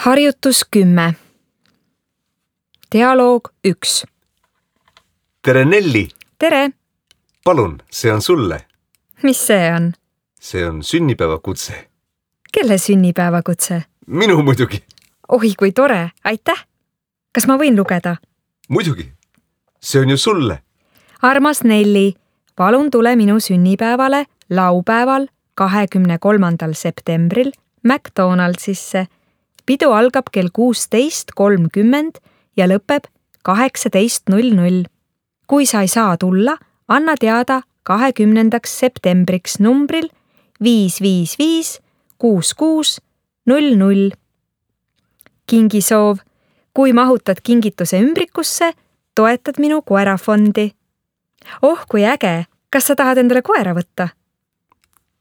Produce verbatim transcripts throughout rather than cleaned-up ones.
Harjutus kümme. Dialoog üks. Tere Nelli! Tere! Palun, see on sulle. Mis see on? See on sünnipäevakutse. Kelle sünnipäevakutse? Minu muidugi. Oi, kui tore, aitäh! Kas ma võin lugeda? Muidugi. See on ju sulle. Armas Nelli, palun tule minu sünnipäevale laupäeval kahekümne kolmandal septembril McDonaldsisse. Pidu algab kell kuusteist kolmkümmend ja lõpeb kaheksateist null null. Kui sa ei saa tulla, anna teada kahekümnendaks septembriks numbril viis viis viis kuus kuus null null. Kingisoov. Kui mahutad kingituse ümbrikusse, toetad minu koerafondi. Oh, kui äge! Kas sa tahad endale koera võtta?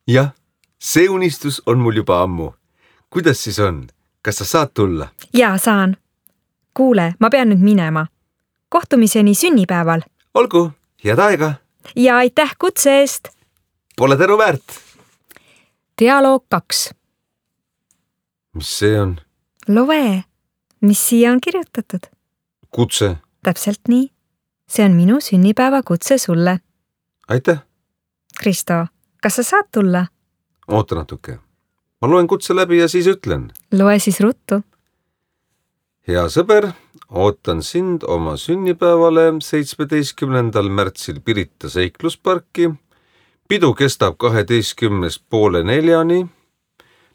Jah, see unistus on mul juba ammu. Kuidas siis on? Kas sa saad tulla? Jaa, saan. Kuule, ma pean nüüd minema. Kohtumiseni sünnipäeval. Olgu, head aega. Ja aitäh kutse eest. Pole tänu väärt. Dialoog kaks. Mis see on? Loe, mis siia on kirjutatud? Kutse. Täpselt nii. See on minu sünnipäeva kutse sulle. Aitäh. Kristo, kas sa saad tulla? Oota natuke. Ma loen kutse läbi ja siis ütlen. Loe siis ruttu. Hea sõber, ootan sind oma sünnipäevale seitsmeteistkümnendal märtsil Pirita seiklusparki. Pidu kestab kaheteistkümnest poole neljani.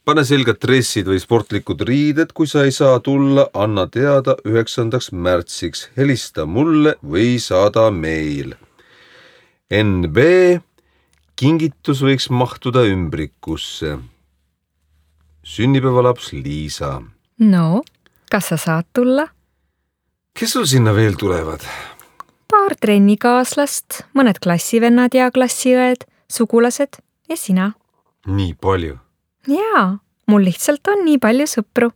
Pane selgad dressid või sportlikud riided, kui sa ei saa tulla, anna teada üheksandaks märtsiks. Helista mulle või saada meil. N B. Kingitus võiks mahtuda ümbrikusse. Sünnipäevalaps Liisa. No, kas sa saad tulla? Kes sul sinna veel tulevad? Paar trennikaaslast, mõned klassivennad ja klassiõed, sugulased ja sina. Nii palju? Jaa, mul lihtsalt on nii palju sõpru.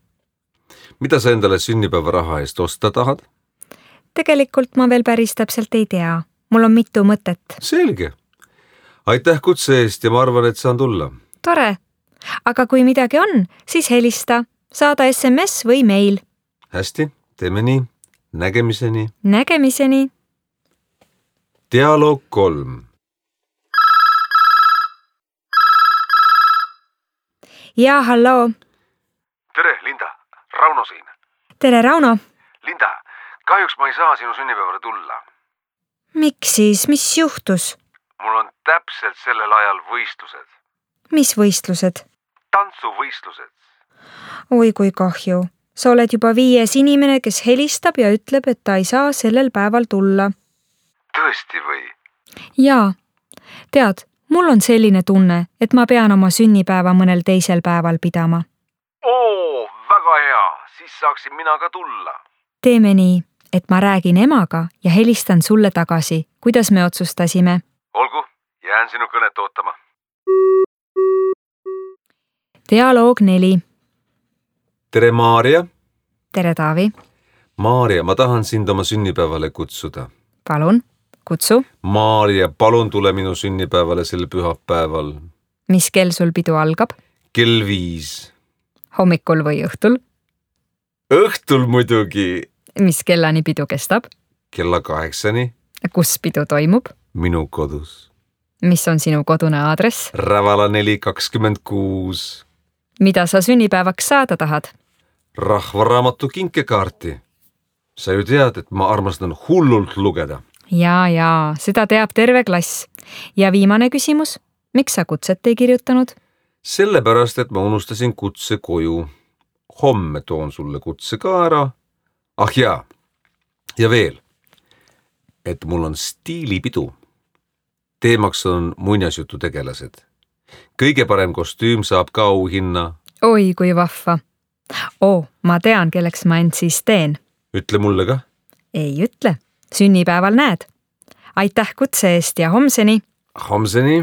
Mida sa endale sünnipäeva raha eest osta tahad? Tegelikult ma veel päris täpselt ei tea. Mul on mitu mõtet. Selge. Aitäh kutse eest ja ma arvan, et saan tulla. Tore. Aga kui midagi on, siis helista. Saada S M S või meil. Hästi, teeme nii. Nägemiseni. Nägemiseni. Dialoog kolm. Jaa, halloo. Tere, Linda. Rauno siin. Tere, Rauno. Linda, kahjuks ma ei saa sinu sünnipäevale tulla. Miks siis? Mis juhtus? Mul on täpselt sellel ajal võistlused. Mis võistlused? Tantsuvõistlused. Oi, kui kahju. Sa oled juba viies inimene, kes helistab ja ütleb, et ta ei saa sellel päeval tulla. Tõesti või? Jaa. Tead, mul on selline tunne, et ma pean oma sünnipäeva mõnel teisel päeval pidama. Oo, väga hea. Siis saaksin mina ka tulla. Teeme nii, et ma räägin emaga ja helistan sulle tagasi. Kuidas me otsustasime? Olgu, jään sinu kõnet ootama. Dialoog neli. Tere, Maarja. Tere, Taavi. Maarja, ma tahan sind oma sünnipäevale kutsuda. Palun, kutsu. Maarja, palun tule minu sünnipäevale sel pühapäeval. Mis kell sul pidu algab? Kell viis. Hommikul või õhtul? Õhtul muidugi. Mis kellani pidu kestab? Kella kaheksani. Kus pidu toimub? Minu kodus. Mis on sinu kodune aadress? Rävala neli kakskümmend kuus. Mida sa sünnipäevaks saada tahad? Rahvaraamatu kinkekaarti. Sa ju tead, et ma armastan hullult lugeda. Jaa, jaa, seda teab terve klass. Ja viimane küsimus, miks sa kutset ei kirjutanud? Sellepärast, et ma unustasin kutse koju. Homme toon sulle kutse ka ära. Ah jaa, ja veel, et mul on stiilipidu. Teemaks on muinasjutu tegelased. Kõige parem kostüüm saab ka auhinna. Oi, kui vahva. Oo, ma tean, kelleks ma end siis teen. Ütle mulle ka. Ei ütle. Sünnipäeval näed. Aitäh kutse eest ja homseni. Homseni.